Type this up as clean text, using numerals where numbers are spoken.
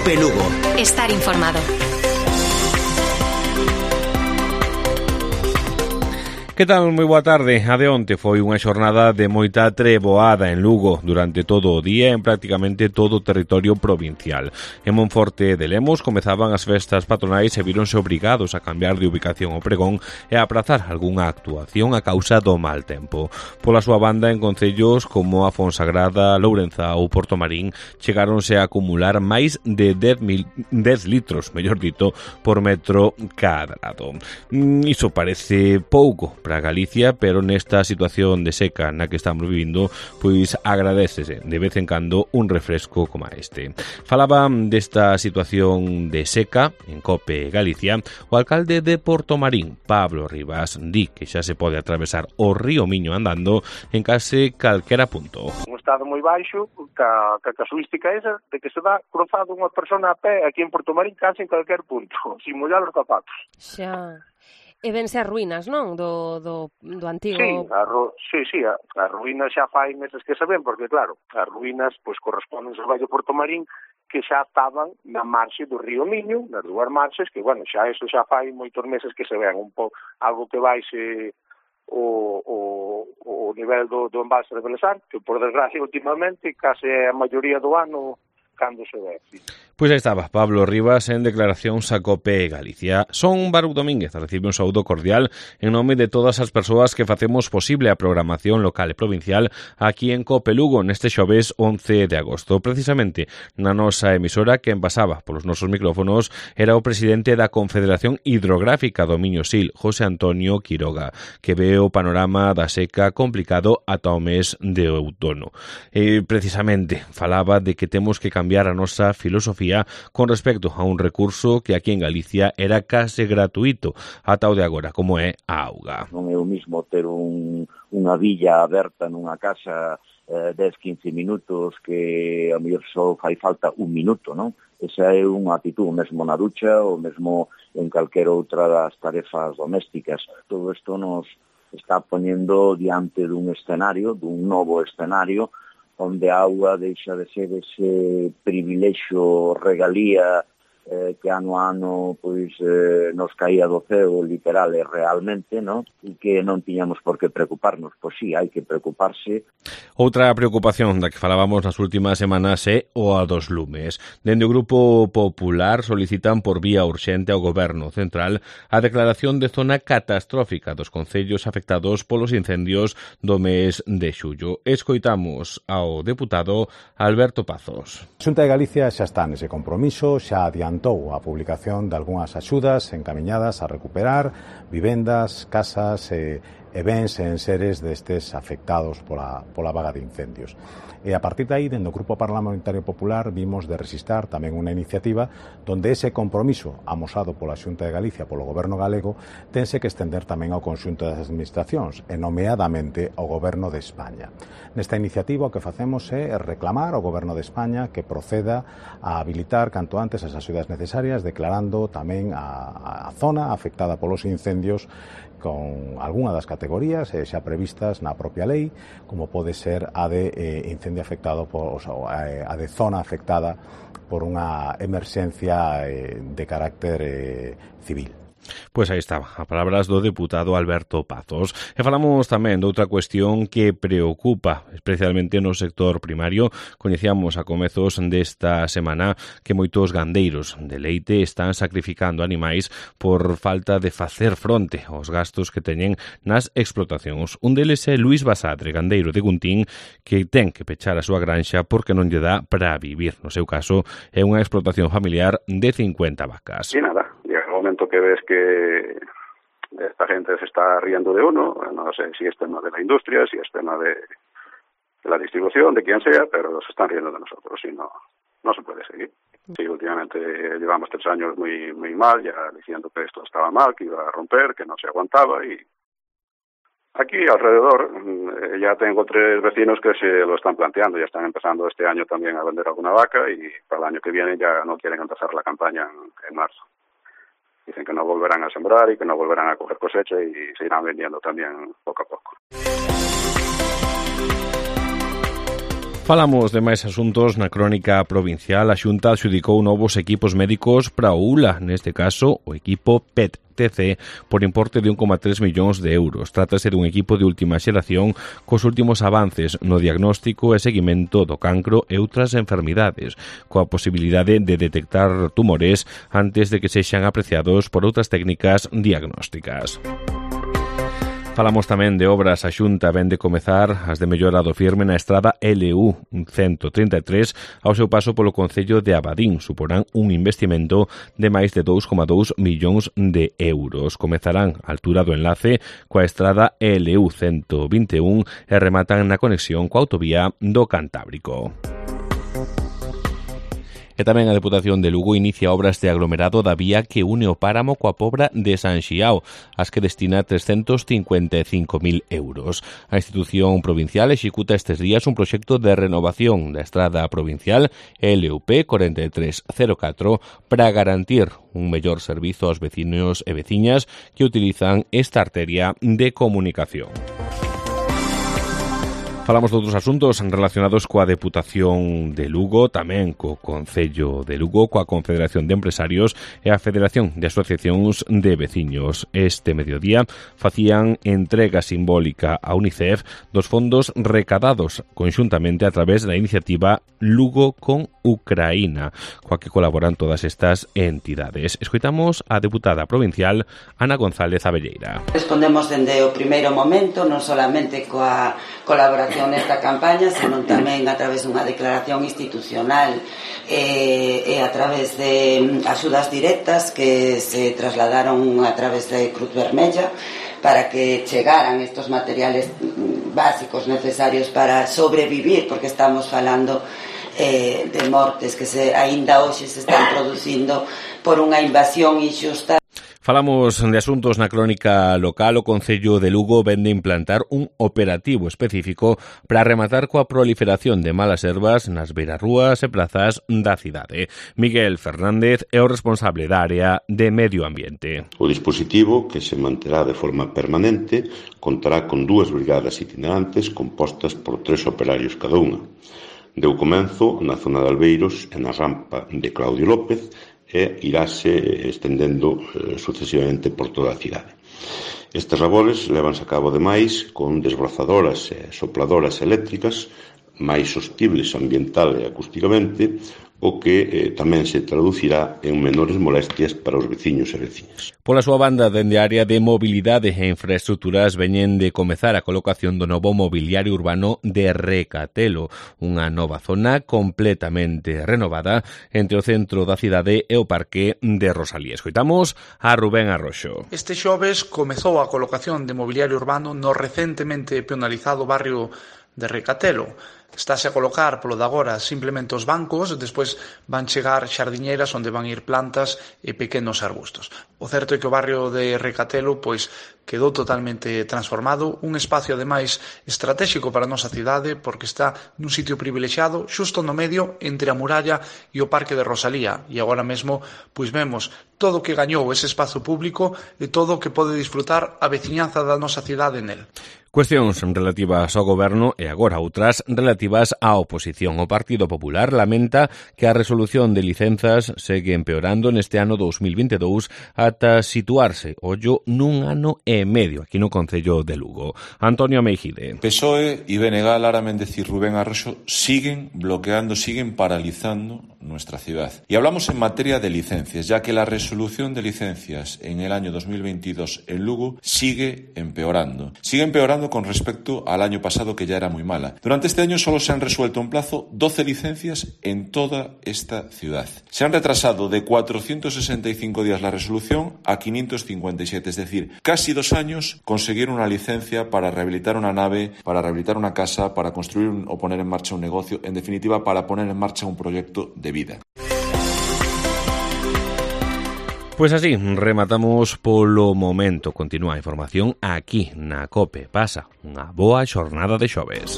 COPE Lugo. Estar informado. Que tal? Moi boa tarde. A de onte foi unha xornada de moita treboada en Lugo durante todo o día en prácticamente todo o territorio provincial. En Monforte de Lemos comezaban as festas patronais e víronse obrigados a cambiar de ubicación o pregón e a aprazar algunha actuación a causa do mal tempo. Pola súa banda, en concellos como a Fonsagrada, Lourenza ou Portomarín chegáronse a acumular máis de 10 litros, mellor dito, por metro cadrado. Iso parece pouco para Galicia, pero nesta situación de seca na que estamos vivindo, pois agradécese de vez en cando un refresco como este. Falaba desta situación de seca en COPE Galicia o alcalde de Portomarín, Pablo Rivas, di que xa se pode atravesar o río Miño andando en case calquera punto. Un estado moi baixo, ca casuística esa de que se dá cruzado unha persona a pé aquí en Portomarín case en calquer punto, sin mollar os zapatos. Xa. E vense as ruínas, non? Do antigo... Sí, as ruínas xa fai meses que se ven, porque claro, as ruínas pois corresponden ao Vello Portomarín que xa estaban na marxe do río Miño, nas dúas marxes, que bueno, xa eso xa fai moitos meses que se ven, un pouco algo que baixe o nivel do embalse de Belesar, que por desgracia últimamente case a maioría do ano cando se ve, sí. Pois aí estaba Pablo Rivas en declaracións a COPE Galicia. Son Baruch Domínguez, recibe un saúdo cordial en nome de todas as persoas que facemos posible a programación local e provincial aquí en COPE Lugo neste xoves 11 de agosto. Precisamente na nosa emisora que envasaba polos nosos micrófonos era o presidente da Confederación Hidrográfica do Miño Sil, José Antonio Quiroga, que ve o panorama da seca complicado ata o mes de outono. Precisamente falaba de que temos que cambiar a nosa filosofía con respecto a un recurso que aquí en Galicia era case gratuito ata o de agora, como é a auga. Non é o mismo ter unha villa aberta nunha casa 10-15 minutos que a mellor só fai falta un minuto, non? Esa é unha actitud, mesmo na ducha ou mesmo en calquer outra das tarefas domésticas. Todo isto nos está poñendo diante dun escenario, dun novo escenario, onde a auga deixa de ser ese privilexio, regalía que ano a ano pois nos caía do ceo literal e realmente, non? E que non tiñamos por que preocuparnos. Pois sí, hai que preocuparse. Outra preocupación da que falábamos nas últimas semanas é o a dos lumes. Dende o Grupo Popular solicitan por vía urxente ao Goberno Central a declaración de zona catastrófica dos concellos afectados polos incendios do mes de xullo. Escoitamos ao deputado Alberto Pazos. A Xunta de Galicia xa está nese compromiso, xa adiantou a publicación de algunhas axudas encamiñadas a recuperar vivendas, casas e bens en seres destes afectados pola vaga de incendios. E a partir de aí, dentro do Grupo Parlamentario Popular, vimos de resistar tamén unha iniciativa donde ese compromiso amosado pola Xunta de Galicia, polo Goberno galego, tense que estender tamén ao conxunto das administracións, e nomeadamente ao Goberno de España. Nesta iniciativa o que facemos é reclamar ao Goberno de España que proceda a habilitar canto antes as axudas necesarias, declarando tamén a zona afectada polos incendios con algunha das categorías xa previstas na propia lei, como pode ser a de incendio afectado a de zona afectada por unha emerxencia de carácter civil. Pois aí estaba, a palabras do deputado Alberto Pazos. E falamos tamén de outra cuestión que preocupa, especialmente no sector primario. Coñecíamos a comezos desta semana que moitos gandeiros de leite están sacrificando animais por falta de facer fronte aos gastos que teñen nas explotacións. Un deles é Luís Basadre, gandeiro de Guntín, que ten que pechar a súa granxa porque non lle dá para vivir. No seu caso, é unha explotación familiar de 50 vacas. E nada, llega o momento que ves que esta gente se está riendo de uno, no sé si es tema de la industria, si es tema de la distribución, de quien sea, pero se están riendo de nosotros y no se puede seguir. Sí, últimamente llevamos 3 años muy mal, ya diciendo que esto estaba mal, que iba a romper, que no se aguantaba, y aquí alrededor ya tengo 3 vecinos que se lo están planteando, ya están empezando este año también a vender alguna vaca y para el año que viene ya no quieren empezar la campaña en marzo. Dicen que no volverán a sembrar y que no volverán a coger cosecha y se irán vendiendo también poco a poco. Falamos de máis asuntos na crónica provincial. A Xunta adxudicou novos equipos médicos para o ULA, neste caso o equipo PET-TC, por importe de 1,3 millóns de euros. Trátase dun equipo de última xeración cos últimos avances no diagnóstico e seguimento do cancro e outras enfermidades, coa posibilidade de detectar tumores antes de que sexan apreciados por outras técnicas diagnósticas. Falamos tamén de obras. A Xunta vén de comezar as de mellora do firme na estrada LU 133 ao seu paso polo concello de Abadín. Suporán un investimento de máis de 2,2 millóns de euros. Comezarán a altura do enlace coa estrada LU 121 e rematan na conexión coa autovía do Cantábrico. E tamén a Deputación de Lugo inicia obras de aglomerado da vía que une o páramo coa Pobra de San Xiao, as que destina 355.000 euros. A institución provincial executa estes días un proxecto de renovación da estrada provincial LUP 4304 para garantir un mellor servizo aos veciños e veciñas que utilizan esta arteria de comunicación. Falamos de outros asuntos relacionados coa Deputación de Lugo, tamén co Concello de Lugo, coa Confederación de Empresarios e a Federación de Asociacións de Veciños. Este mediodía facían entrega simbólica a UNICEF dos fondos recadados conxuntamente a través da iniciativa Lugo con Ucraína, coa que colaboran todas estas entidades. Escoitamos a deputada provincial Ana González Abelleira. Respondemos dende o primeiro momento, non solamente coa colaboración nesta campaña, senón tamén a través dunha declaración institucional e a través de axudas directas que se trasladaron a través de Cruz Vermella para que chegaran estos materiales básicos necesarios para sobrevivir, porque estamos falando de mortes que aínda hoxe se están producindo por unha invasión inxusta. Falamos de asuntos na crónica local. O Concello de Lugo vende implantar un operativo específico para rematar coa proliferación de malas herbas nas beirarrúas e plazas da cidade. Miguel Fernández é o responsable da área de Medio Ambiente. O dispositivo, que se manterá de forma permanente, contará con 2 brigadas itinerantes compostas por 3 operarios cada unha. Deu comenzo na zona de Albeiros e na rampa de Claudio López e iráse estendendo sucesivamente por toda a cidade. Estes labores levanse a cabo ademais con desbrozadoras e sopladoras eléctricas máis sostibles ambiental e acústicamente, o que tamén se traducirá en menores molestias para os veciños e veciñas. Pola súa banda, dende a área de mobilidade e infraestructuras veñen de comezar a colocación do novo mobiliario urbano de Recatelo, unha nova zona completamente renovada entre o centro da cidade e o parque de Rosalía. Escoitamos a Rubén Arroxo. Este xoves comezou a colocación de mobiliario urbano no recentemente peonalizado barrio de Recatelo. Estáse a colocar polo de agora simplemente os bancos, despois van chegar xardiñeiras onde van ir plantas e pequenos arbustos. O certo é que o barrio de Recatelo quedou totalmente transformado, un espacio ademais estratégico para a nosa cidade porque está nun sitio privilexiado xusto no medio entre a muralla e o parque de Rosalía, e agora mesmo vemos todo o que gañou ese espazo público e todo o que pode disfrutar a veciñanza da nosa cidade nel. Cuestións relativas ao goberno e agora outras relativas á oposición. O Partido Popular lamenta que a resolución de licenzas segue empeorando neste ano 2022 ata situarse, ollo, nun ano e medio aquí no Concello de Lugo. Antonio Meijide. PSOE y BNG, Lara Méndez y Rubén Arroxo siguen bloqueando, siguen paralizando nuestra ciudad. Y hablamos en materia de licencias, ya que la resolución de licencias en el año 2022 en Lugo sigue empeorando. Sigue empeorando con respecto al año pasado, que ya era muy mala. Durante este año solo se han resuelto en plazo 12 licencias en toda esta ciudad. Se han retrasado de 465 días la resolución a 557, es decir, casi 2 años conseguir una licencia para rehabilitar una nave, para rehabilitar una casa, para construir o poner en marcha un negocio, en definitiva, para poner en marcha un proyecto de vida. Pois así, rematamos polo momento. Continúa a información aquí na COPE. Pasa unha boa xornada de xoves.